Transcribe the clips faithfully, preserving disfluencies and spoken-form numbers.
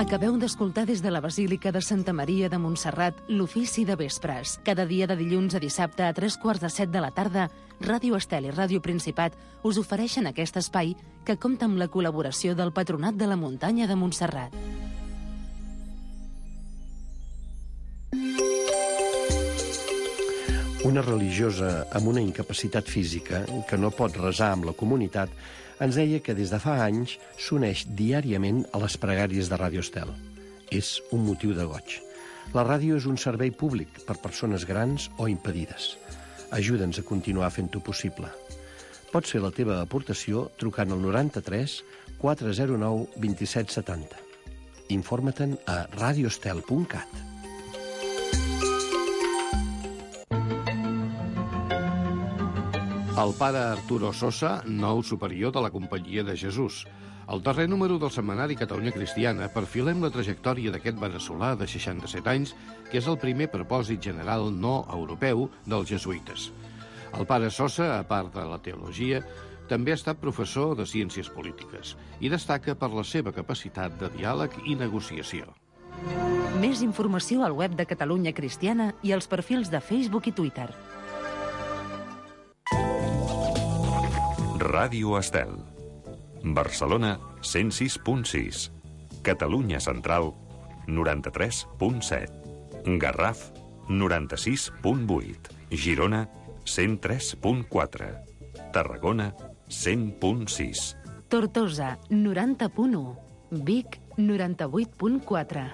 Acabeu d'escoltar des de la Basílica de Santa Maria de Montserrat l'ofici de vespres. Cada dia de dilluns a dissabte a tres quarts de set de la tarda, Ràdio Estel i Ràdio Principat us ofereixen aquest espai que compta amb la col·laboració del Patronat de la Muntanya de Montserrat. Una religiosa amb una incapacitat física que no pot resar amb la comunitat ens deia que des de fa anys s'uneix diàriament a les pregàries de Ràdio Estel. És un motiu de goig. La ràdio és un servei públic per persones grans o impedides. Ajuda'ns a continuar fent-ho possible. Pots fer la teva aportació trucant al noranta-tres quatre zero nou dos set set zero. Informa-te'n a radioestel punt cat. El pare Arturo Sosa, nou superior de la Companyia de Jesús. Al darrer número del setmanari Catalunya Cristiana perfilem la trajectòria d'aquest veneçolà de seixanta-set anys, que és el primer propòsit general no europeu dels jesuïtes. El pare Sosa, a part de la teologia, també ha estat professor de ciències polítiques i destaca per la seva capacitat de diàleg i negociació. Més informació al web de Catalunya Cristiana i als perfils de Facebook i Twitter. Ràdio Estel. Barcelona, cent sis punt sis. Catalunya Central, noranta-tres punt set. Garraf, noranta-sis punt vuit. Girona, cent tres punt quatre. Tarragona, cent punt sis. Tortosa, noranta punt u. Vic, noranta-vuit punt quatre.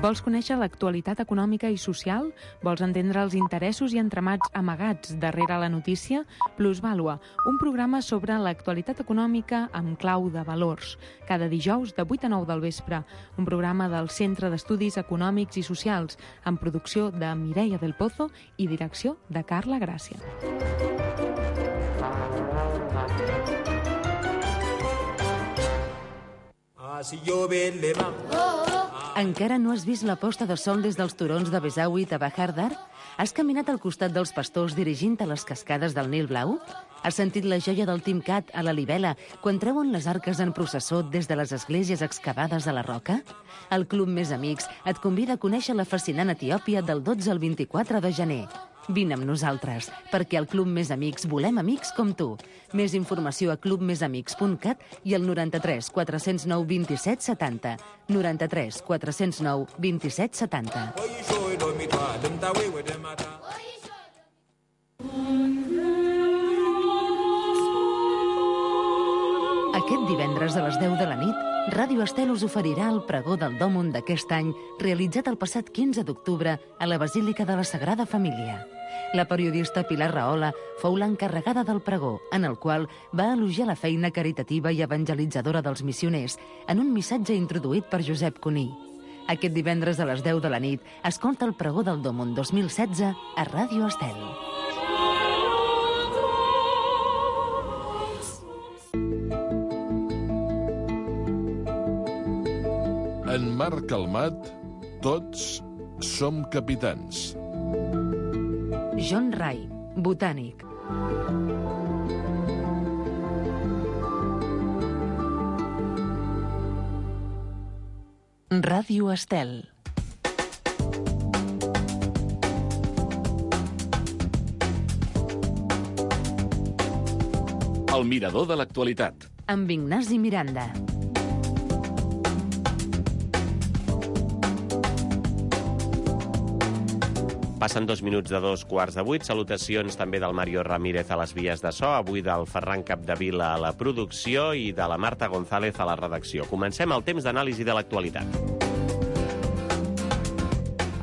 Vols conèixer l'actualitat econòmica i social? Vols entendre els interessos i entramats amagats darrere la notícia? Plusvàlua, un programa sobre l'actualitat econòmica amb clau de valors. Cada dijous de vuit a nou del vespre. Un programa del Centre d'Estudis Econòmics i Socials, amb producció de Mireia del Pozo i direcció de Carla Gràcia. Ah, si llove le va... Encara no has vist la posta de sol des dels turons de Besaüit a Bahar Dar? Has caminat al costat dels pastors dirigint a les cascades del Nil Blau? Has sentit la joia del Timcat a la Libela quan treuen les arques en processó des de les esglésies excavades a la roca? El Club Més Amics et convida a conèixer la fascinant Etiòpia del dotze al vint-i-quatre de gener. Vine amb nosaltres, perquè al Club Més Amics volem amics com tu. Més informació a club més amics punt cat i al noranta-tres quatre zero nou dos set set zero. noranta-tres quatre zero nou dos set set zero. Aquest divendres a les deu de la nit, Ràdio Estel us oferirà el pregó del Dòmund d'aquest any, realitzat el passat quinze d'octubre a la Basílica de la Sagrada Família. La periodista Pilar Rahola fou l'encarregada del pregó, en el qual va elogiar la feina caritativa i evangelitzadora dels missioners en un missatge introduït per Josep Cuní. Aquest divendres a les deu de la nit, escolta el pregó del Dòmund dos mil setze a Ràdio Estel. En mar calmat, tots som capitans. John Ray, botànic. Ràdio Estel. El mirador de l'actualitat. Amb Ignasi Miranda. Passen dos minuts de dos quarts de vuit. Salutacions també del Mario Ramírez a les vies de so, avui del Ferran Capdevila a la producció i de la Marta González a la redacció. Comencem el temps d'anàlisi de l'actualitat.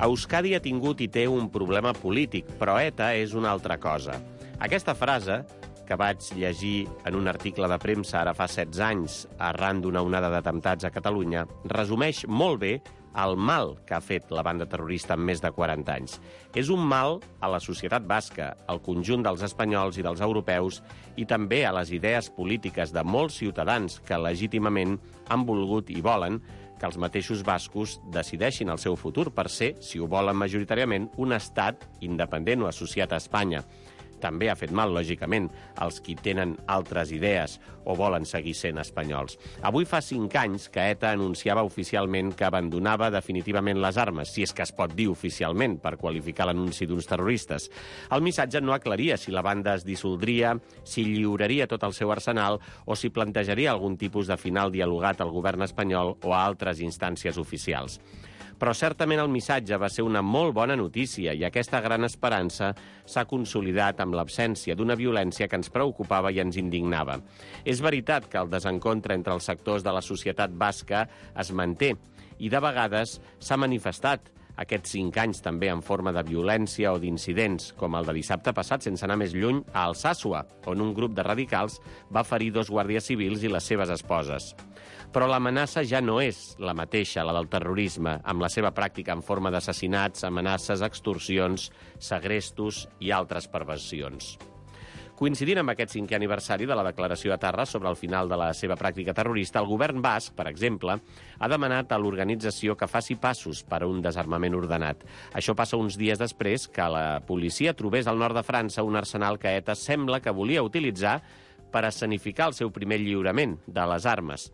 Euskadi ha tingut i té un problema polític, però ETA és una altra cosa. Aquesta frase, que vaig llegir en un article de premsa ara fa setze anys, arran d'una onada d'atemptats a Catalunya, resumeix molt bé el mal que ha fet la banda terrorista en més de quaranta anys. És un mal a la societat basca, al conjunt dels espanyols i dels europeus, i també a les idees polítiques de molts ciutadans que legítimament han volgut i volen que els mateixos bascos decideixin el seu futur per ser, si ho volen majoritàriament, un estat independent o associat a Espanya. també ha fet mal, lògicament, als qui tenen altres idees o volen seguir sent espanyols. Avui fa cinc anys que ETA anunciava oficialment que abandonava definitivament les armes, si és que es pot dir oficialment, per qualificar l'anunci d'uns terroristes. El missatge no aclaria si la banda es dissoldria, si lliuraria tot el seu arsenal o si plantejaria algun tipus de final dialogat al govern espanyol o a altres instàncies oficials. Però certament el missatge va ser una molt bona notícia i aquesta gran esperança s'ha consolidat amb l'absència d'una violència que ens preocupava i ens indignava. És veritat que el desencontre entre els sectors de la societat basca es manté i de vegades s'ha manifestat aquests cinc anys també en forma de violència o d'incidents, com el de dissabte passat, sense anar més lluny, a Alsàsua, on un grup de radicals va ferir dos guàrdies civils i les seves esposes. Però l'amenaça ja no és la mateixa, la del terrorisme, amb la seva pràctica en forma d'assassinats, amenaces, extorsions, segrestos i altres perversions. Coincidint amb aquest cinquè aniversari de la declaració a Tarra sobre el final de la seva pràctica terrorista, el govern basc, per exemple, ha demanat a l'organització que faci passos per a un desarmament ordenat. Això passa uns dies després que la policia trobés al nord de França un arsenal que ETA sembla que volia utilitzar per escenificar el seu primer lliurament de les armes.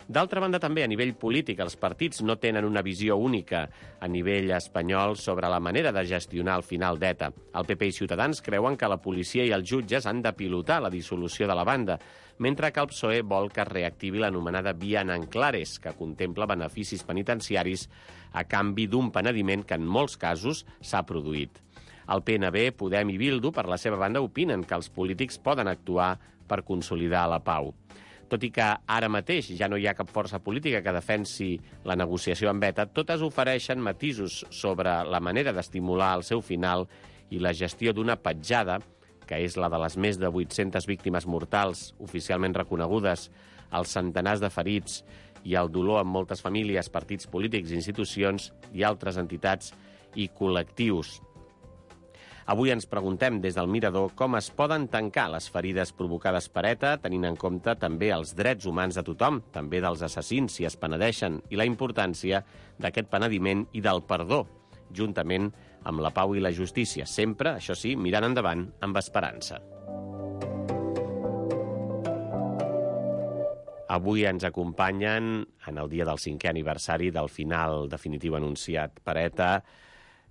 D'altra banda, també, a nivell polític, els partits no tenen una visió única a nivell espanyol sobre la manera de gestionar el final d'ETA. El P P i Ciutadans creuen que la policia i els jutges han de pilotar la dissolució de la banda, mentre que el P S O E vol que es reactivi l'anomenada via Nanclares, que contempla beneficis penitenciaris a canvi d'un penediment que en molts casos s'ha produït. El P N B, Podem i Bildu, per la seva banda, opinen que els polítics poden actuar per consolidar la pau. Tot i que ara mateix ja no hi ha cap força política que defensi la negociació amb ETA, totes ofereixen matisos sobre la manera d'estimular el seu final i la gestió d'una petjada, que és la de les més de vuit-centes víctimes mortals oficialment reconegudes, els centenars de ferits i el dolor en moltes famílies, partits polítics, institucions i altres entitats i col·lectius. Avui ens preguntem des del Mirador com es poden tancar les ferides provocades per ETA, tenint en compte també els drets humans de tothom, també dels assassins si es penedeixen, i la importància d'aquest penediment i del perdó, juntament amb la pau i la justícia, sempre, això sí, mirant endavant amb esperança. Avui ens acompanyen, en el dia del cinquè aniversari del final definitiu anunciat per ETA,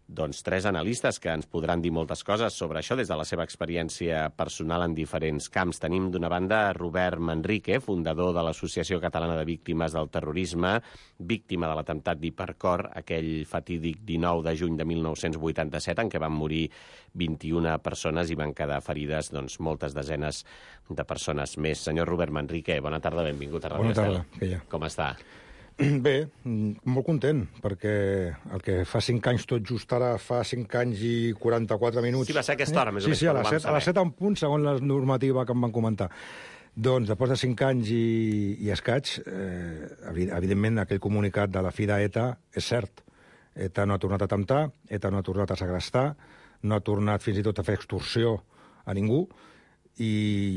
doncs tres analistes que ens podran dir moltes coses sobre això des de la seva experiència personal en diferents camps. Tenim d'una banda Robert Manrique, fundador de l'Associació Catalana de Víctimes del Terrorisme, víctima de l'atemptat d'Hipercor, aquell fatídic dinou de juny de mil nou-cents vuitanta-set, en què van morir vint-i-una persones i van quedar ferides doncs, moltes desenes de persones més. Senyor Robert Manrique, bona tarda, benvingut a Ràdio Bona tarda, Estel. que hi ha. Com està? Bé, molt content, perquè el que fa cinc anys tot just ara, fa cinc anys i quaranta-quatre minuts... Sí, va ser aquesta hora, més o menys. Sí, sí, a les set, a les set en punt, segons la normativa que em van comentar. Doncs, després de cinc anys i, i escaig, eh, evidentment, aquell comunicat de la fi d'ETA és cert. ETA no ha tornat a atemptar, ETA no ha tornat a segrestar, no ha tornat fins i tot a fer extorsió a ningú, i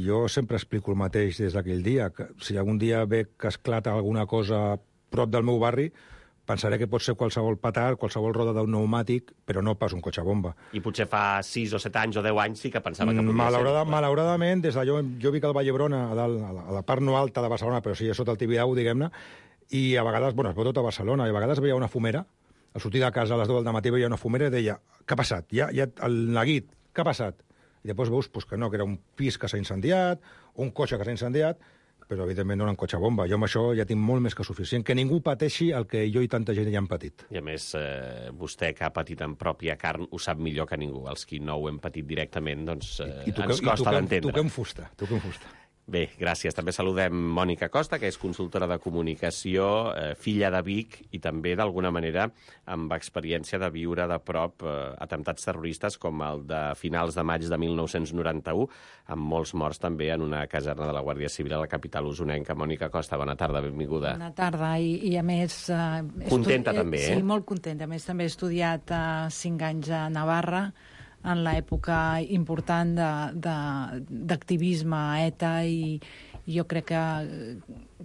jo sempre explico el mateix des d'aquell dia, que si algun dia ve que esclata alguna cosa prop del meu barri, pensaré que pot ser qualsevol petard, qualsevol roda d'un pneumàtic, però no pas un cotxe bomba. I potser fa sis o set anys o deu anys sí que pensava que podia Malaurada, ser. Malauradament, des d'allò, jo vic al Vall d'Hebron, a, dalt, a, la, a la part no alta de Barcelona, però sí, sota el Tibidabo, diguem-ne, i a vegades, bueno, es veu tot a Barcelona, i a vegades veia una fumera, al sortir de casa a les deu del matí veia una fumera i deia, què ha passat? Ja, ja el neguit, què ha passat? I després veus pues, que no, que era un pis que s'ha incendiat, o un cotxe que s'ha incendiat, però evidentment no era un cotxe bomba. Jo amb això ja tinc molt més que suficient. Que ningú pateixi el que jo i tanta gent ja han patit. I a més, eh, vostè que ha patit en pròpia carn ho sap millor que ningú. Els qui no ho hem patit directament, doncs eh, I, i toquem, ens costa d'entendre. I toquem fusta, toquem fusta. Bé, gràcies. També saludem Mònica Costa, que és consultora de comunicació, eh, filla de Vic i també, d'alguna manera, amb experiència de viure de prop eh, atemptats terroristes com el de finals de maig de mil nou-cents noranta-u, amb molts morts també en una caserna de la Guàrdia Civil a la capital usonenca. Mònica Costa, bona tarda, benvinguda. Bona tarda, i, i a més... Eh, contenta estudi... també, eh? Sí, molt contenta. A més, també he estudiat eh, cinc anys a Navarra, en l'època important d'activisme a ETA, i jo crec que,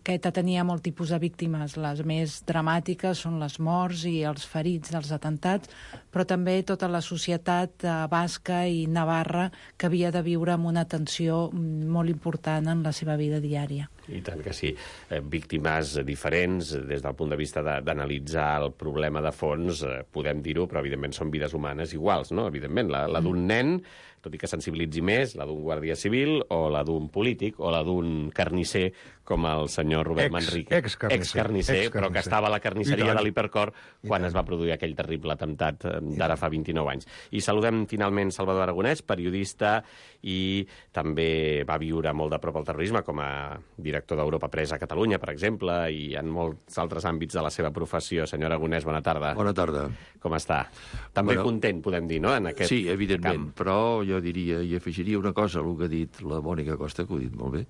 que ETA tenia molt tipus de víctimes. Les més dramàtiques són les morts i els ferits dels atentats, però també tota la societat eh, basca i navarra que havia de viure amb una tensió molt important en la seva vida diària. I tant que sí. Eh, víctimes diferents, des del punt de vista d'analitzar el problema de fons, eh, podem dir-ho, però evidentment són vides humanes iguals, no? Evidentment, la, la d'un nen, tot i que sensibilitzi més, la d'un guàrdia civil, o la d'un polític, o la d'un carnisser, com el senyor Robert ex, Manrique. Ex-carnisser. Ex-carnisser, ex però que estava a la carnisseria de l'Hipercor quan es va produir aquell terrible atemptat d'ara fa vint-i-nou anys. I saludem finalment Salvador Aragonès, periodista, i també va viure molt de prop el terrorisme com a director d'Europa Press a Catalunya, per exemple, i en molts altres àmbits de la seva professió. Senyor Aragonès, bona tarda. Bona tarda. Com està? També bueno, content, podem dir, no?, en aquest Sí, evidentment, camp. Però jo diria, i afegiria una cosa, el que ha dit la Mònica Costa, que ho ha dit molt bé,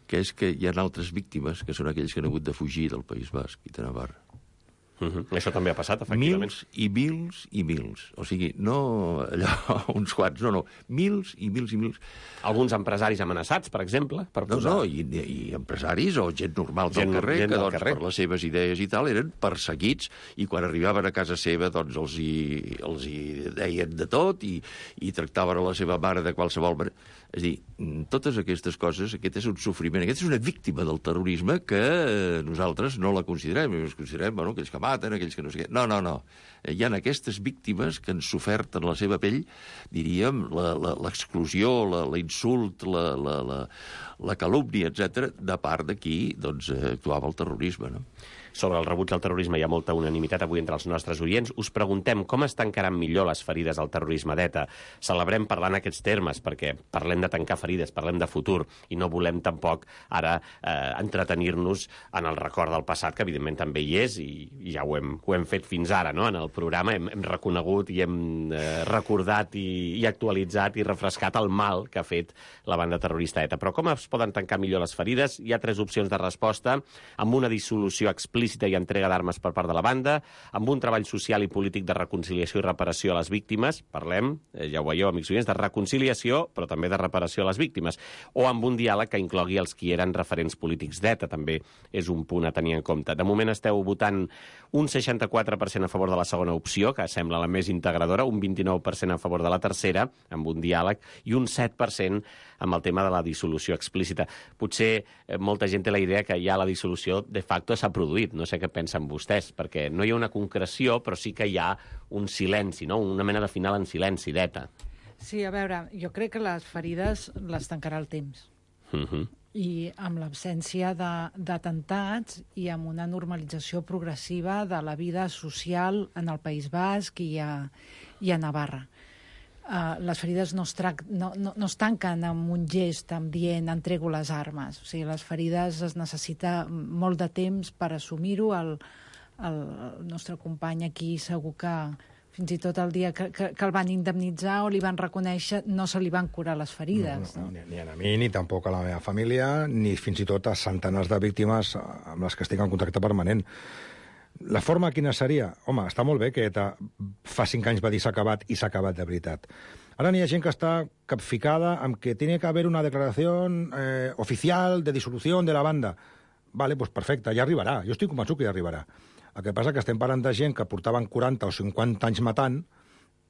que és que hi ha altres víctimes, que són aquells que han hagut de fugir del País Basc i de Navarra. Uh -huh. Això també ha passat, efectivament. Mils i mils i mils. O sigui, no allò, uns quants, no, no. Mils i mils i mils. Alguns empresaris amenaçats, per exemple, per posar... No, no, i, i empresaris o gent normal gent, del carrer, gent que del doncs, carrer. per les seves idees i tal, eren perseguits, i quan arribaven a casa seva doncs els hi, els hi deien de tot i, i tractaven a la seva mare de qualsevol manera. És a dir, totes aquestes coses, aquest és un sofriment, aquest és una víctima del terrorisme que nosaltres no la considerem. Ens considerem, bueno, aquells que maten, aquells que no sé què. No, no, no. Hi ha aquestes víctimes que han sofert en la seva pell, diríem, l'exclusió, l'insult, la, la, la, la calúmnia, etcètera, de part de qui doncs, actuava el terrorisme, no? Sobre el rebuig al terrorisme hi ha molta unanimitat avui entre els nostres oients. Us preguntem com es tancaran millor les ferides del terrorisme d'ETA. Celebrem parlant aquests termes, perquè parlem de tancar ferides, parlem de futur, i no volem tampoc ara eh, entretenir-nos en el record del passat, que evidentment també hi és, i, i ja ho hem, ho hem fet fins ara, no?, en el programa. Hem, hem reconegut i hem eh, recordat i, i actualitzat i refrescat el mal que ha fet la banda terrorista ETA. Però com es poden tancar millor les ferides? Hi ha tres opcions de resposta, amb una dissolució explícita i entrega d'armes per part de la banda, amb un treball social i polític de reconciliació i reparació a les víctimes, parlem, eh, ja ho veieu, amics oients, de reconciliació, però també de reparació a les víctimes, o amb un diàleg que inclogui els qui eren referents polítics d'ETA, també és un punt a tenir en compte. De moment esteu votant un seixanta-quatre per cent a favor de la segona opció, que sembla la més integradora, un vint-i-nou per cent a favor de la tercera, amb un diàleg, i un set per cent amb el tema de la dissolució explícita. Potser eh, molta gent té la idea que ja la dissolució de facto s'ha produït. No sé què pensen vostès, perquè no hi ha una concreció, però sí que hi ha un silenci, no?, una mena de final en silenci d'ETA. Sí, a veure, jo crec que les ferides les tancarà el temps. Uh -huh. I amb l'absència d'atemptats i amb una normalització progressiva de la vida social en el País Basc i a, i a Navarra. Uh, les ferides no es, trac, no, no, no es tanquen amb un gest, amb dient entrego les armes. O sigui, les ferides es necessita molt de temps per assumir-ho. El, el nostre company aquí segur que fins i tot el dia que, que, que el van indemnitzar o li van reconèixer no se li van curar les ferides. No, no, no? Ni, ni a mi, ni tampoc a la meva família, ni fins i tot a centenars de víctimes amb les que estic en contacte permanent. La forma quina seria? Home, està molt bé que ETA fa cinc anys va dir s'ha acabat i s'ha acabat de veritat. Ara n'hi ha gent que està capficada amb que tiene que haver una declaració eh, oficial de dissolució de la banda. Vale, pues perfecte, ja arribarà. Jo estic convençut que ja arribarà. El que passa que estem parlant de gent que portaven quaranta o cinquanta anys matant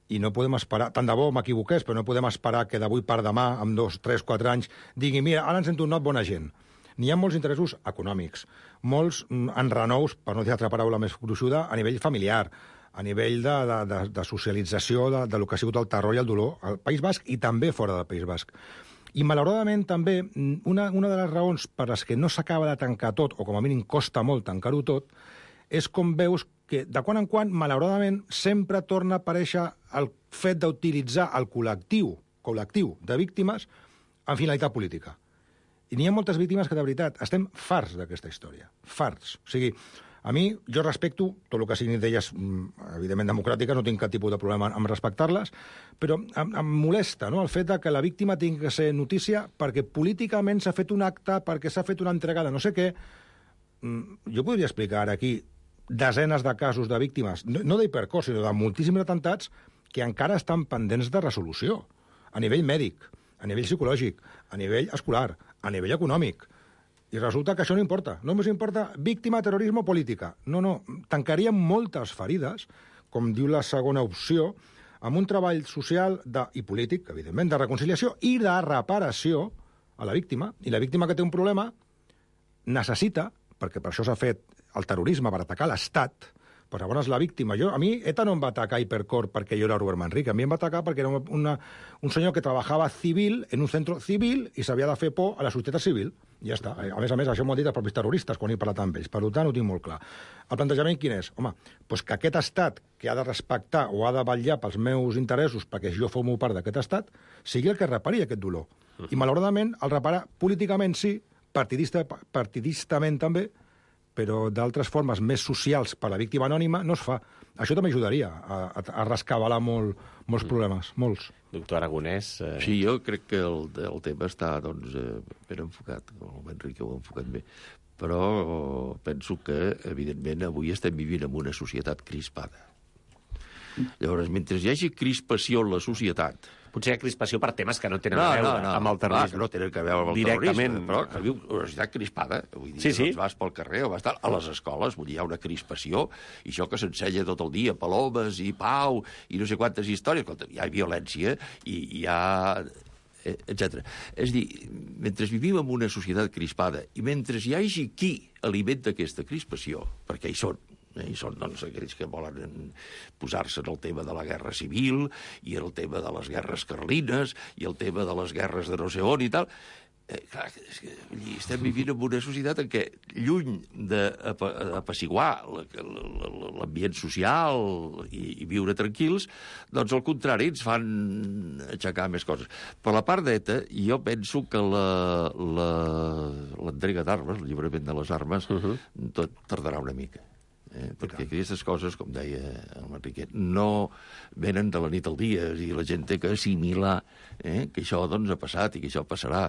i no podem esperar, tant de bo m'equivoqués, però no podem esperar que d'avui per demà, amb dos, tres, quatre anys, digui, mira, ara ens hem tornat bona gent. N'hi ha molts interessos econòmics, molts enrenous, per no dir altra paraula més gruixuda, a nivell familiar, a nivell de, de, de, de socialització de, de lo que ha sigut el terror i el dolor al País Basc i també fora del País Basc. I, malauradament, també, una, una de les raons per les que no s'acaba de tancar tot, o com a mínim costa molt tancar-ho tot, és com veus que, de quan en quan, malauradament, sempre torna a aparèixer el fet d'utilitzar el col·lectiu, col·lectiu de víctimes en finalitat política. I n'hi ha moltes víctimes que, de veritat, estem farts d'aquesta història. Farts. O sigui, a mi, jo respecto tot el que siguin d'elles, evidentment democràtiques, no tinc cap tipus de problema en respectar-les, però em, em molesta, no?, el fet de que la víctima tingui que ser notícia perquè políticament s'ha fet un acte, perquè s'ha fet una entrega de no sé què. Jo podria explicar ara aquí desenes de casos de víctimes, no, no d'Hipercor, sinó de moltíssims atemptats, que encara estan pendents de resolució, a nivell mèdic, a nivell psicològic, a nivell escolar, a nivell econòmic. I resulta que això no importa. No ens importa víctima, terrorisme o política. No, no, tancaríem moltes ferides, com diu la segona opció, amb un treball social de, i polític, evidentment, de reconciliació i de reparació a la víctima. I la víctima que té un problema necessita, perquè per això s'ha fet el terrorisme, per atacar l'Estat, però llavors la víctima... Jo, a mi ETA no em va atacar Hipercor perquè jo era Robert Manrique, a mi em va atacar perquè era una, un senyor que treballava civil en un centre civil i s'havia de fer por a la societat civil. I ja està. A més a més, això m'ho han dit els propis terroristes quan he parlat amb ells. Per tant, ho tinc molt clar. El plantejament quin és? Home, doncs que aquest estat que ha de respectar o ha de vetllar pels meus interessos perquè jo formo part d'aquest estat, sigui el que repari aquest dolor. I, malauradament, el repara políticament sí, partidista, partidistament també, però d'altres formes més socials per a la víctima anònima no es fa. Això també ajudaria a, a, a rescabalar molt, molts problemes, molts. Doctor Aragonès... Eh... Sí, jo crec que el, el tema està doncs, eh, ben enfocat, el Enrique ho ha enfocat bé, però penso que, evidentment, avui estem vivint en una societat crispada. Llavors, mentre hi hagi crispació en la societat... Potser hi ha crispació per temes que no tenen no, a veure no, no. amb el terrorisme. Ah, que no tenen a veure amb el directament. terrorisme, però que viu una societat crispada. Vull dir, sí, sí. Doncs vas pel carrer o vas estar a les escoles, vull dir, hi ha una crispació, i això que s'ensenya tot el dia, palomes i pau, i no sé quantes històries, hi ha violència, i hi ha... etcètera. És a dir, mentre vivim en una societat crispada, i mentre hi hagi qui alimenta aquesta crispació, perquè hi són, i són doncs, aquells que volen posar-se en el tema de la guerra civil i el tema de les guerres carlines i el tema de les guerres de no sé on i tal. Eh, clar, és que, estem vivint en una societat en què, lluny d'apaciguar l'ambient social i, i viure tranquils, doncs al contrari ens fan aixecar més coses. Per la part d'ETA, jo penso que l'entrega d'armes, el lliurament de les armes, uh-huh. tot tardarà una mica. Eh, perquè aquestes coses, com deia el Manriquet, no venen de la nit al dia, i la gent té que assimilar eh, que això doncs, ha passat i que això passarà.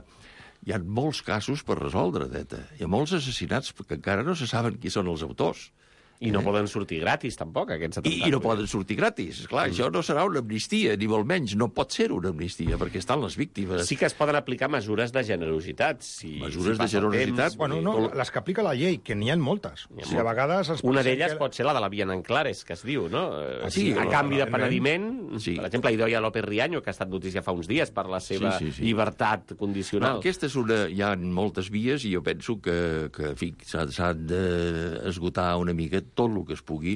Hi ha molts casos per resoldre, d'ETA. Hi ha molts assassinats que encara no se saben qui són els autors. I no eh? poden sortir gratis, tampoc, aquests atemptats. I, I no poden sortir gratis. Esclar, mm. això no serà una amnistia, ni molt menys. No pot ser una amnistia, perquè estan les víctimes. Sí que es poden aplicar mesures de generositat. Si, mesures si de generositat? Temps, bueno, no, les que aplica la llei, que n'hi ha moltes. Ha o sigui, a vegades es una d'elles que... pot ser la de la via en clares, que es diu, no? Ah, sí, a la, canvi la, de penediment, sí. Per exemple, Idoia López Riaño, que ha estat notícia fa uns dies per la seva sí, sí, sí. llibertat condicional. No, aquesta és una... Hi ha moltes vies i jo penso que, que en fi, s'han d'esgotar una mica tot el que es pugui,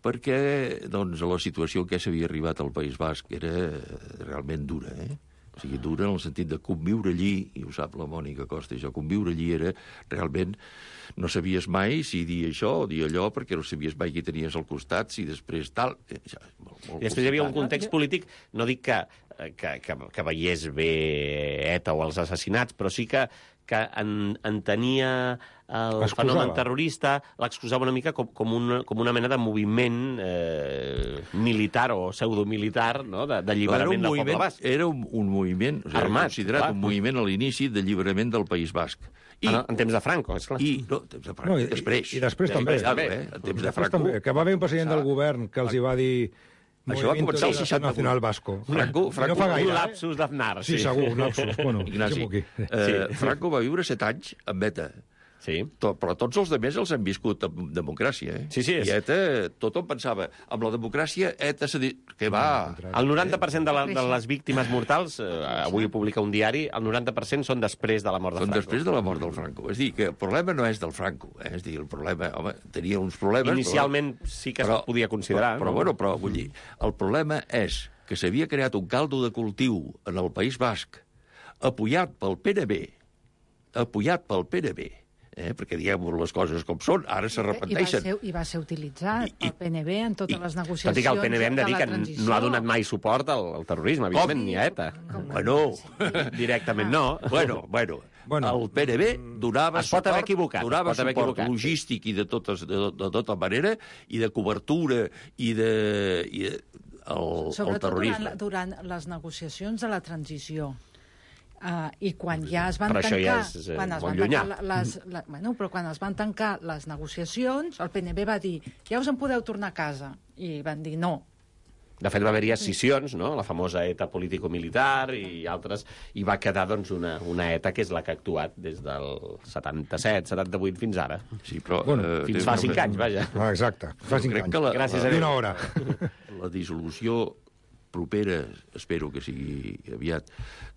perquè doncs, la situació en què s'havia arribat al País Basc era realment dura, eh? O sigui, dura en el sentit de conviure allí, i ho sap la Mònica Costa, això, conviure allí era realment... No sabies mai si dir això o dir allò, perquè no sabies mai qui tenies al costat, si després tal... Això, molt, molt I després hi havia un context polític, no dic que, que, que, que veiés bé ETA o els assassinats, però sí que, que en, entenia el fenomen terrorista, l'excusava una mica com, com, una, com una mena de moviment eh, militar o pseudomilitar, no? d'alliberament del poble basc. Era un, un moviment, o sigui, armat, considerat clar. Un moviment a l'inici d'alliberament del País Basc. I, en, en temps de Franco, esclar. I, no, temps de Franco, no, i, després. I després també. també eh? En temps de Franco. També, que va haver un president del govern que els hi va dir... Això va començar el seixanta Nacional Vasco. Franco, Franco, no fa gaire, un lapsus eh? d'Aznar. Sí, sí, segur, un lapsus. Bueno, Ignasi, eh, Franco va viure set anys amb ETA. Sí. Tot, però tots els altres els han viscut amb democràcia. Eh? Sí, sí, és... I ETA, tothom pensava, amb la democràcia, ETA s'ha dit... Que va... El noranta per cent de, la, de les víctimes mortals, eh, avui ho publica un diari, el noranta per cent són després de la mort de són Franco. Són després de la mort del Franco. És dir, que el problema no és del Franco. Eh? És dir, el problema... Home, tenia uns problemes... Inicialment però, sí que però, es podia considerar. Però, però, no? bueno, però, vull dir, el problema és que s'havia creat un caldo de cultiu en el País Basc, apoyat pel P N B, apoyat pel P N B, eh? Perquè diguem les coses com són, ara s'arrepenteixen. I, I va ser utilitzat pel P N B en totes i, les negociacions. Tot i que el P N B hem de dir que no ha donat mai suport al, al terrorisme, evidentment, ni a ETA. Bueno, directament no. Bueno, bueno, bueno, el P N B donava es pot haver suport, equivocat, donava pot haver suport equivocat. logístic i de, totes, de, de tota manera, i de cobertura, i de... I de el, Sobretot el terrorisme. Durant, durant les negociacions de la transició. Uh, I quan ja es van però tancar... ja és, eh, quan es van llunyà. tancar les, la, bueno, però quan es van tancar les negociacions, el P N B va dir, ja us en podeu tornar a casa. I van dir no. De fet, va haver-hi escissions, no? La famosa ETA político-militar i altres, i va quedar doncs, una, una ETA que és la que ha actuat des del setanta-set, setanta-vuit fins ara. Sí, però... Bueno, eh, fins fa cinc anys, vaja. Ah, exacte, fa cinc anys. La, Gràcies a Déu. Déu. Una hora. La dissolució propera, espero que sigui aviat,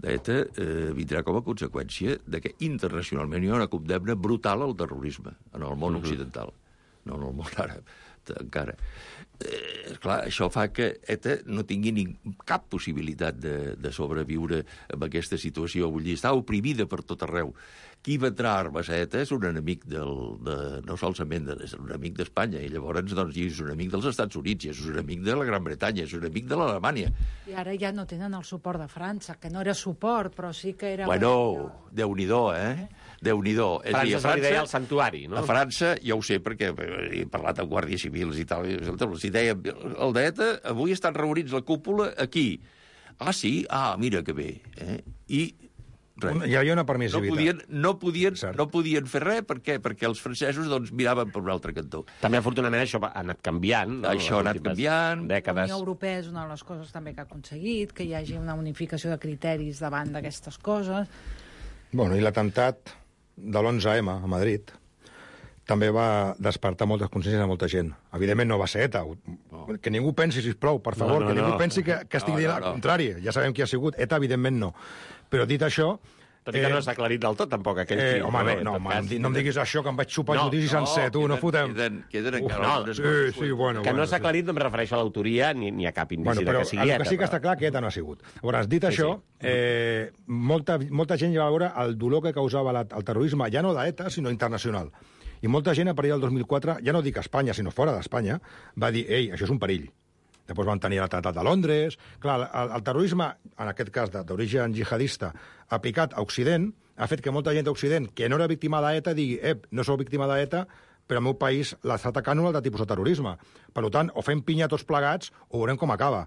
d'ETA, eh, vindrà com a conseqüència de que internacionalment hi ha una condemna brutal al terrorisme en el món uh-huh. occidental, no en el món àrab, encara. Eh, clar, això fa que ETA no tingui ni cap possibilitat de, de sobreviure en aquesta situació. Vull dir, està oprimida per tot arreu. Qui vendrà armes a ETA és un enemic del, de, no solament de, és un enemic d'Espanya, i llavors doncs, és un amic dels Estats Units, és un enemic de la Gran Bretanya, és un enemic de l'Alemanya. I ara ja no tenen el suport de França, que no era suport, però sí que era... Bueno, Déu-n'hi-do, eh? Déu-n'hi-do. És França, dir, a se li França, deia el santuari, no? A França, ja ho sé, perquè he parlat amb guàrdies civils i tal, i els deia, el d'ETA, avui estan reunits la cúpula aquí. Ah, sí? Ah, mira que bé. Eh? I res. Hi havia una permissivitat. No podien, no podien, no podien fer res, per què? Perquè els francesos doncs, miraven per un altre cantó. També, afortunadament, això ha anat canviant. No? Això ha anat canviant. Dècades. La Unió Europea és una de les coses també que ha aconseguit, que hi hagi una unificació de criteris davant d'aquestes coses. Bueno, i l'atemptat de l'onze eme a Madrid també va despertar moltes consciències a molta gent. Evidentment no va ser ETA. No. Que ningú pensi, sisplau, per favor, no, no, que ningú no. pensi que, que estic no, dient no, no. el contrari. Ja sabem qui ha sigut. ETA, evidentment, no. Però dit això... Tot i que eh, no s'ha aclarit del tot, tampoc, aquell eh, fill. Home, no, no, no, cas, no em diguis això, que em vaig xupar no, el judici no, sencer, tu, queden, no fotem. Queden, queden encara no, algunes sí, coses. Sí, bueno, que bueno, no s'ha aclarit, sí. no em refereixo a l'autoria ni, ni a cap indici bueno, però que sigui el ETA. que sí que però... està clar que ETA no ha sigut. Llavors, dit sí, això, sí. Eh, molta, molta gent ja va veure el dolor que causava la, el terrorisme, ja no d'ETA, sinó internacional. I molta gent, a partir del dos mil quatre, ja no dic a Espanya, sinó fora d'Espanya, va dir, ei, això és un perill. Després van tenir el Tractat de Londres... Clar, el, el terrorisme, en aquest cas d'origen jihadista, aplicat a Occident, ha fet que molta gent d'Occident, que no era víctima d'ETA, digui, ep, no sou víctima d'ETA, però al meu país l'està atacant un altre tipus de terrorisme. Per tant, o fem pinya tots plegats o veurem com acaba.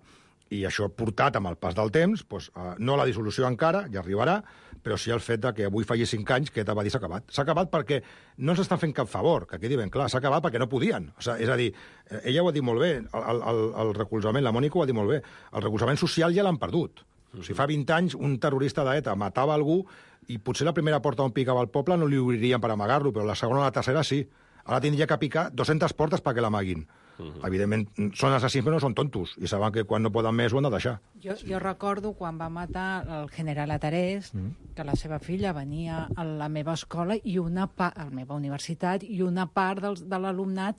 I això portat amb el pas del temps, doncs, eh, no la dissolució encara, ja arribarà, però sí el fet de que avui falli cinc anys que ETA va dir s'ha acabat. S'ha acabat perquè no ens estan fent cap favor, que quedi ben clar, s'ha acabat perquè no podien. O sigui, és a dir, ella ho ha dit molt bé, el, el, el recolzament, la Mònica ho ha dit molt bé, el recolzament social ja l'han perdut. O sigui, fa vint anys un terrorista d'ETA matava algú i potser la primera porta on picava el poble no li obririen per amagar-lo, però la segona o la tercera sí. Ara tindria que picar dues-centes portes perquè l'amaguin. Uh -huh. Evidentment, són assassins, però no són tontos, i saben que quan no poden més ho han de deixar. Jo, jo recordo quan va matar el general Atarés, uh -huh. que la seva filla venia a la meva escola, i una part, a la meva universitat, i una part dels, de l'alumnat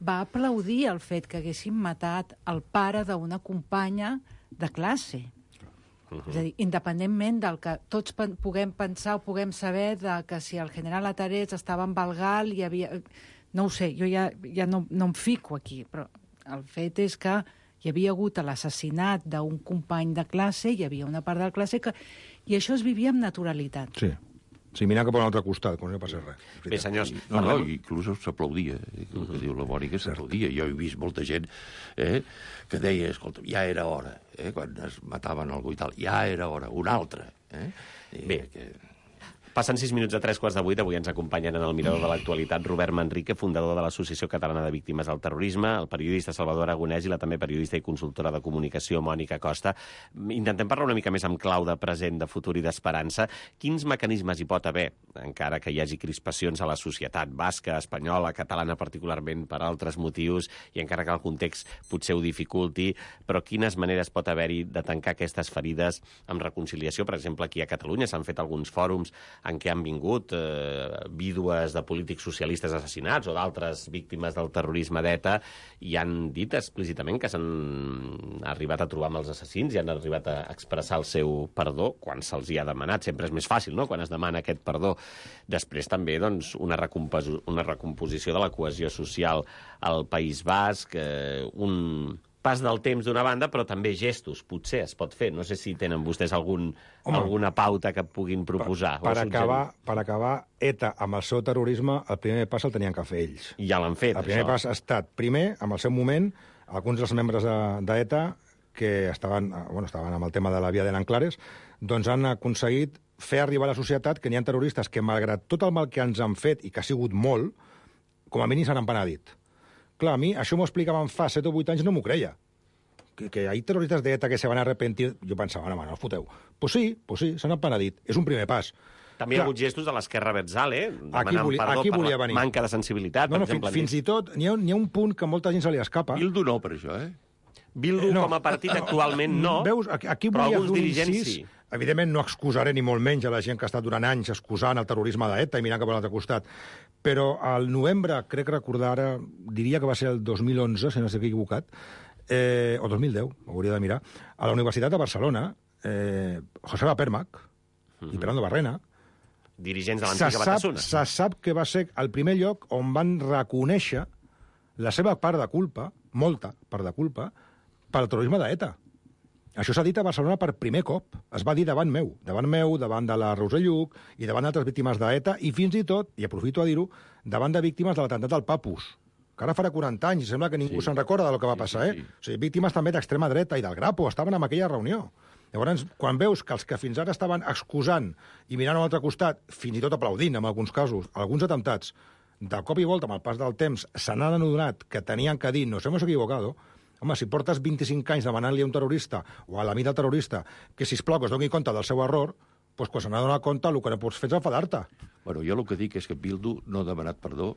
va aplaudir el fet que haguessin matat el pare d'una companya de classe. Uh-huh. És a dir, independentment del que tots pen puguem pensar o puguem saber de que si el general Atarés estava en Valgal i havia... No ho sé, jo ja, ja no, no em fico aquí, però el fet és que hi havia hagut l'assassinat d'un company de classe, hi havia una part de la classe que... I això es vivia amb naturalitat. Sí. Sí, mirant cap a un altre costat, quan no passa res. Bé, senyors... No, no, inclús s'aplaudia, el que uh-huh. diu la Mònica, s'aplaudia. Jo he vist molta gent eh, que deia, escolta, ja era hora, eh, quan es mataven algú i tal, ja era hora, un altre. Eh? Bé, que... Passen sis minuts a tres quarts de vuit. Avui ens acompanyen en el Mirador de l'Actualitat Robert Manrique, fundador de l'Associació Catalana de Víctimes del Terrorisme, el periodista Salvador Aragonès i la també periodista i consultora de comunicació Mònica Costa. Intentem parlar una mica més amb clau de present, de futur i d'esperança. Quins mecanismes hi pot haver, encara que hi hagi crispacions a la societat basca, espanyola, catalana particularment per altres motius, i encara que el context potser ho dificulti, però quines maneres pot haver-hi de tancar aquestes ferides amb reconciliació? Per exemple, aquí a Catalunya s'han fet alguns fòrums en què han vingut eh, vídues de polítics socialistes assassinats o d'altres víctimes del terrorisme d'ETA i han dit explícitament que s'han arribat a trobar amb els assassins i han arribat a expressar el seu perdó quan se'ls hi ha demanat. Sempre és més fàcil, no?, quan es demana aquest perdó. Després també, doncs, una, recompos una recomposició de la cohesió social al País Basc, eh, un... pas del temps d'una banda, però també gestos, potser es pot fer. No sé si tenen vostès algun, Home, alguna pauta que puguin proposar. Per, per, acabar, per acabar, ETA amb el seu terrorisme, el primer pas el tenien que fer ells. I ja l'han fet, El primer això. pas ha estat, primer, amb el seu moment, alguns dels membres d'ETA de, que estaven, bueno, estaven amb el tema de la via de Nanclares, doncs han aconseguit fer arribar a la societat que n'hi ha terroristes que, malgrat tot el mal que ens han fet, i que ha sigut molt, com a mínim s'han empenedit. Clar, a mi això m'ho explicaven fa set o vuit anys, no m'ho creia. que, que hay terroristas de ETA que se van a arrepentir, jo pensava, no, no, us foteu. Pues sí, pues sí, s'han penedit. És un primer pas. També hi ha hagut gestos de l'esquerra Betzale, demanant volia, perdó per la venir. manca de sensibilitat. No, no, per exemple, fins, fins i tot, n'hi ha, ha un punt que a molta gent se li escapa. Bildu no, per això, eh? Bildu no, com a partit actualment no, veus, aquí, aquí però alguns un dirigents incís, sí. Evidentment no excusaré ni molt menys a la gent que ha estat durant anys excusant el terrorisme d'ETA i mirant cap a l'altre costat, però al novembre, crec recordar ara, diria que va ser el dos mil onze, si no estic equivocat, eh, o dos mil deu, ho hauria de mirar, a la Universitat de Barcelona, eh, Joseba Permac uh-huh. i Fernando Barrena, dirigents de l'antiga Batasuna. Se sap que va ser el primer lloc on van reconèixer la seva part de culpa, molta part de culpa, pel terrorisme d'ETA. Això s'ha dit a Barcelona per primer cop. Es va dir davant meu, davant meu, davant de la Roser Lluc i davant d'altres víctimes d'ETA i fins i tot, i aprofito a dir-ho, davant de víctimes de l'atemptat del Papus, que ara farà quaranta anys i sembla que ningú sí. se'n recorda del que va passar, sí, sí, sí. eh? O sigui, víctimes també d'extrema dreta i del Grapo estaven en aquella reunió. Llavors, quan veus que els que fins ara estaven excusant i mirant a l'altre costat, fins i tot aplaudint, en alguns casos, alguns atemptats, de cop i volta, amb el pas del temps, se n'han adonat que tenien que dir nos hemos equivocado, home, si portes vint-i-cinc anys demanant-li a un terrorista o a l'amic del terrorista que, sisplau, que es doni compte del seu error, doncs quan se n'ha donat compte, el que no pots fer és enfadar-te. Bueno, jo el que dic és que Bildu no ha demanat perdó,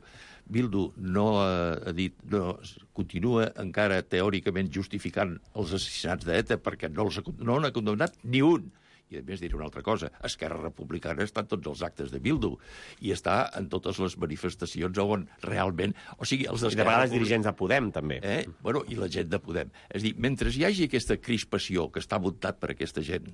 Bildu no ha dit, no, continua encara teòricament justificant els assassinats d'ETA perquè no els ha, no n'ha condemnat ni un. I, a més, diré una altra cosa. Esquerra Republicana està en tots els actes de Bildu i està en totes les manifestacions on realment... O sigui, els I de vegades dirigents de Podem, també. Eh? Bueno, i la gent de Podem. És a dir, mentre hi hagi aquesta crispació que està muntat per aquesta gent,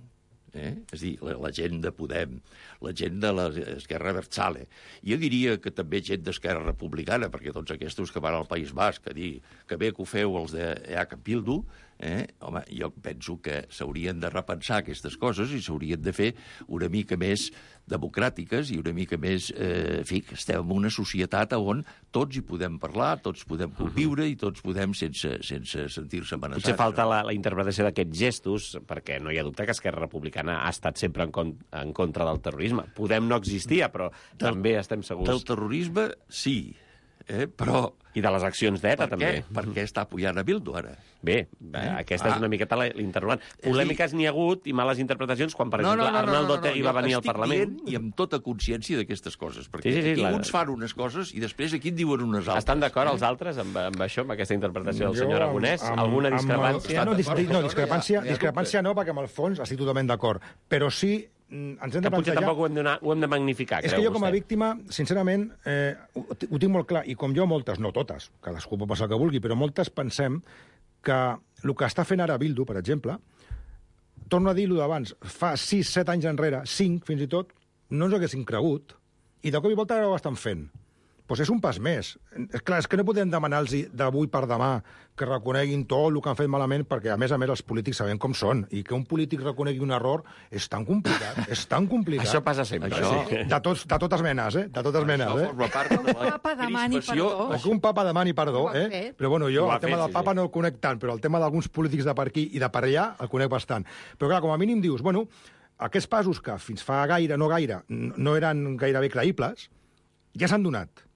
eh? És a dir, la, la gent de Podem, la gent de l'Esquerra Abertzale, jo diria que també gent d'Esquerra Republicana, perquè tots aquests que van al País Basc a dir que bé que ho feu els de E H Bildu, eh? Home, jo penso que s'haurien de repensar aquestes coses i s'haurien de fer una mica més democràtiques i una mica més... Eh, en fi, que estem en una societat on tots hi podem parlar, tots podem conviure i tots podem sense, sense sentir-se amenaçats. Potser falta la, la interpretació d'aquests gestos, perquè no hi ha dubte que Esquerra Republicana ha estat sempre en, con en contra del terrorisme. Podem no existia, però del, també estem segurs... Del terrorisme, sí, eh? Però... I de les accions d'ETA, també. Per què està apoyant a Bildu, ara? Bé, eh? aquesta ah. és una miqueta l'interrogant. Polèmiques n'hi ha hagut i males interpretacions quan, per no, exemple, no, no, Arnaldo no, no, no, Otegi va venir al Parlament. I amb tota consciència d'aquestes coses, perquè sí, sí, sí, aquí la... uns fan unes coses i després aquí en diuen unes altres. Estan d'acord els altres amb, amb això, amb aquesta interpretació del senyor Aragonès? Amb, Alguna amb, discrepància? Amb, no, dis, no, discrepància, discrepància no, perquè amb el fons estic totalment d'acord. Però sí ens hem de que potser plantejar... tampoc ho hem, de, ho hem de magnificar, és creu que jo com a vostè? víctima, sincerament, eh, ho, ho tinc molt clar, i com jo moltes, no totes, cadascú pot passar el que vulgui, però moltes pensem que el que està fent ara Bildu, per exemple, torno a dir-ho d'abans, fa sis, set anys enrere, cinc fins i tot, no ens ho haguessin cregut, i de cop i volta ara ho estan fent. Doncs és un pas més. És clar, és que no podem demanar-los d'avui per demà que reconeguin tot el que han fet malament, perquè, a més a més, els polítics sabem com són, i que un polític reconegui un error és tan complicat, és tan complicat. Això passa sempre. Això, sí. de, tots, de totes menes, eh? De totes menes, eh? Forma part de la papa demani perdó. O que un papa demani perdó, eh? Però bueno, jo el tema del papa no el conec tant, però el tema d'alguns polítics de per aquí i de per allà el conec bastant. Però clar, com a mínim dius, bueno, aquests passos que fins fa gaire, no gaire, no eren gairebé creïbles, ja s'han donat.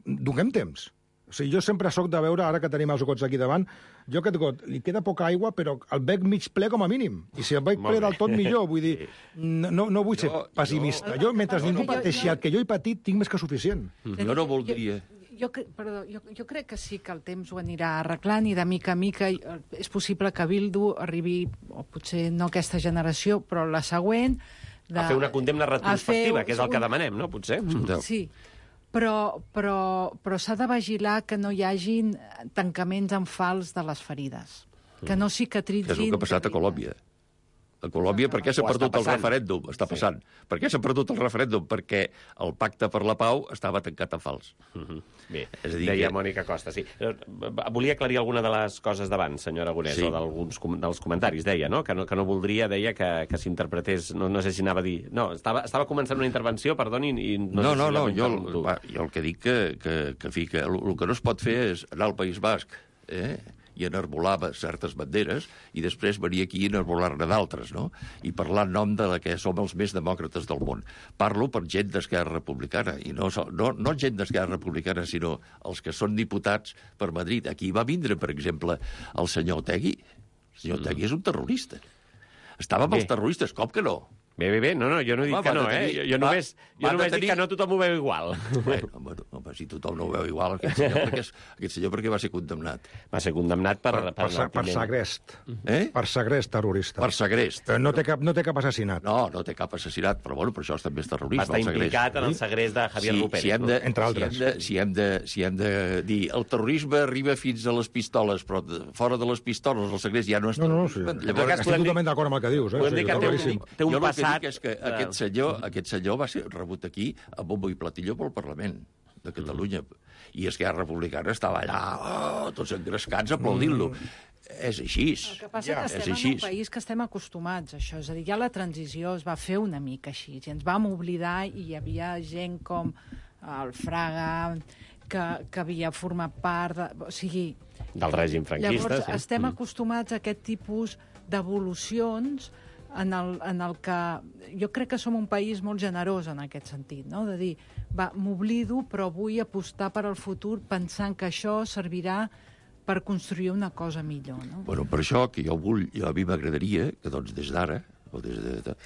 Donem temps. O sigui, jo sempre sóc de veure, ara que tenim els gots aquí davant, jo aquest got, li queda poca aigua, però el bec mig ple com a mínim. I si el bec ple del tot millor, vull dir, no, no vull ser jo, pessimista. Jo, jo mentre ningú pateixi el que jo he patit, tinc més que suficient. Jo no voldria... Jo, jo, perdó, jo, jo crec que sí que el temps ho anirà arreglant i de mica a mica és possible que Bildu arribi, o potser no aquesta generació, però la següent... De, a fer una condemna retrospectiva, fer, que és el que demanem, no? Potser? Sí. Però, però, però s'ha de vigilar que no hi hagin tancaments en fals de les ferides, que no cicatritzin... Que és el que ha passat a Colòmbia. A Colòmbia, per què s'ha perdut el referèndum? Està passant. Sí. Per què s'ha perdut el referèndum? Perquè el pacte per la pau estava tancat en fals. Uh -huh. Bé, és a dir deia que... Mònica Costa, sí. Volia aclarir alguna de les coses d'abans, senyor Aragonès, sí. O d'alguns com dels comentaris, deia, no? Que no, que no voldria, deia, que, que s'interpretés... No, no sé si anava a dir... No, estava, estava començant una intervenció, perdoni, i no, no sé no, si no, jo, va, jo el que dic que, que, que, que, que el, el que no es pot fer és anar al País Basc, eh?, i enarbolava certes banderes, i després venir aquí i enarbolar-ne d'altres, no? I parlar en nom de la que som els més demòcrates del món. Parlo per gent d'Esquerra Republicana, i no, no, no gent d'Esquerra Republicana, sinó els que són diputats per Madrid. Aquí va vindre, per exemple, el senyor Otegi. El El senyor Otegui és un terrorista. Estava amb els terroristes, com que no? Bé, bé, bé, no, no, jo no dic Va, que no, tenir, eh? Jo només, jo només tenir... dic que no tothom ho veu igual. Bueno, bueno, home, si tothom no ho veu igual, aquest senyor, perquè, és, aquest senyor perquè va ser condemnat. Va ser condemnat per... Per, per, per, per segrest. Eh? Per segrest terrorista. Per segrest. Però no té cap, no té cap assassinat. No, no té cap assassinat, però bueno, per això també és terrorisme. Va estar implicat en el segrest de Javier sí, Rupert. Si hem de, entre altres. Si hem, de, si, hem de, si hem de dir el terrorisme arriba fins a les pistoles, però fora de les pistoles el segrest ja no és... No, no, no, sí. Llavors, estic totalment d'acord amb el que dius. Eh? Podem dir que té un, té un jo passat... el que dic és que aquest senyor, aquest senyor va ser rebut aquí a bombo i platilló pel Parlament de Catalunya. I Esquerra Republicana estava allà, oh, tots engrescats, aplaudint-lo. Mm. És així. El que passa ja, que estem en un país que estem acostumats a això. És a dir, ja la transició es va fer una mica així. I ens vam oblidar i hi havia gent com el Fraga, que, que havia format part... De, o sigui... Del règim franquista. Llavors, sí. estem acostumats a aquest tipus d'evolucions en el, en el que jo crec que som un país molt generós en aquest sentit, no? De dir, va, m'oblido, però vull apostar per al futur pensant que això servirà per construir una cosa millor, no? Bueno, per això que jo vull, jo a mi m'agradaria que doncs des d'ara, o des de, de,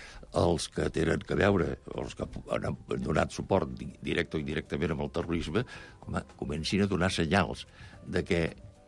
els que tenen que veure, els que han donat suport directe o indirectament amb el terrorisme, home, comencin a donar senyals de que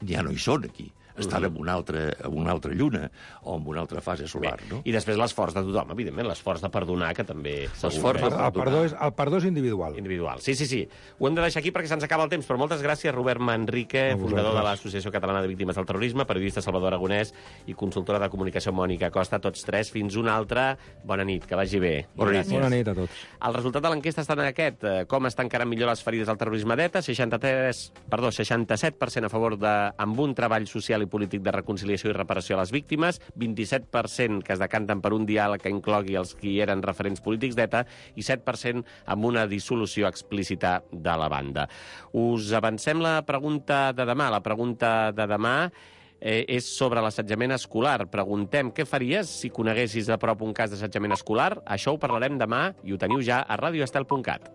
ja no hi són aquí. Estan en una, altra, en una altra lluna o en una altra fase solar, Bé, no? I després l'esforç de tothom, evidentment, l'esforç de perdonar, que també... L'esforç de El, el, perdó és, el perdó és individual. Individual, sí, sí, sí. Ho hem de deixar aquí perquè se'ns acaba el temps, però moltes gràcies, Robert Manrique, fundador de l'Associació Catalana de Víctimes del Terrorisme, periodista Salvador Aragonès i consultora de comunicació Mònica Costa, tots tres. Fins una altra. Bona nit, que vagi bé. Bona nit. Bona nit a tots. El resultat de l'enquesta està en aquest. Com es tancaran millor les ferides del terrorisme d'ETA? seixanta-tres, perdó, seixanta-set per cent a favor de... amb un treball social i polític de reconciliació i reparació a les víctimes, vint-i-set per cent que es decanten per un diàleg que inclogui els qui eren referents polítics d'ETA i set per cent amb una dissolució explícita de la banda. Us avancem la pregunta de demà. La pregunta de demà eh, és sobre l'assetjament escolar. Preguntem què faries si coneguessis a prop un cas d'assetjament escolar. Això ho parlarem demà i ho teniu ja a radio estel punt cat.